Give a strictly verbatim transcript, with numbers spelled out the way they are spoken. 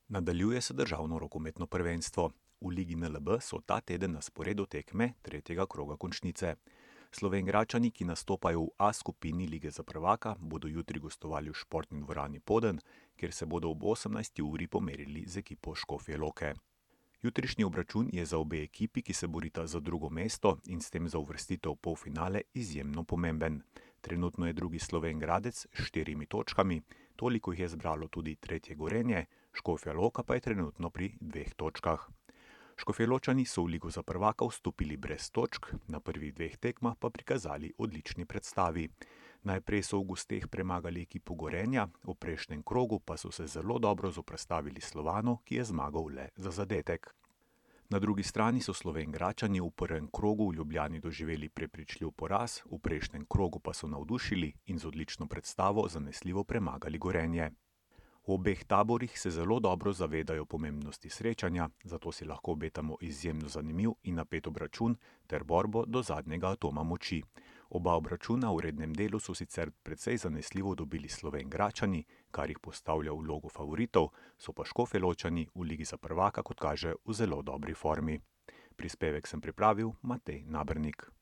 Nadaljuje se državno rokometno prvenstvo. V Ligi N L B so ta teden na sporedu tekme tretjega kroga končnice. Slovenjgračani, ki nastopajo v A skupini Lige za prvaka, bodo jutri gostovali v športni dvorani Poden, kjer se bodo ob osemnajsti uri pomerili z ekipo Škofje Loke. Jutrišnji obračun je za obe ekipi, ki se borita za drugo mesto in s tem za uvrstitev v polfinale, izjemno pomemben. Trenutno je drugi Slovenjgradec s štirimi točkami, toliko jih je zbralo tudi tretje Gorenje, Škofja Loka pa je trenutno pri dveh točkah. Škofjeločani so v Ligo za prvaka vstopili brez točk, na prvih dveh tekmah pa prikazali odlični predstavi. Najprej so v gosteh premagali ekipo Gorenja, v prejšnjem krogu pa so se zelo dobro zoperstavili Slovanu, ki je zmagal le za zadetek. Na drugi strani so Slovenjgračani v prvem krogu v Ljubljani doživeli prepričljiv poraz, v prejšnjem krogu pa so navdušili in z odlično predstavo zanesljivo premagali Gorenje. V obeh taborih se zelo dobro zavedajo pomembnosti srečanja, zato si lahko obetamo izjemno zanimiv in napet obračun ter borbo do zadnjega atoma moči. Oba obračuna v rednem delu so sicer precej zanesljivo dobili Slovenjgračani, kar jih postavlja v vlogo favoritov, so pa Škofjeločani v Ligi za prvaka, kot kaže, v zelo dobri formi. Prispevek sem pripravil Matej Nabernik.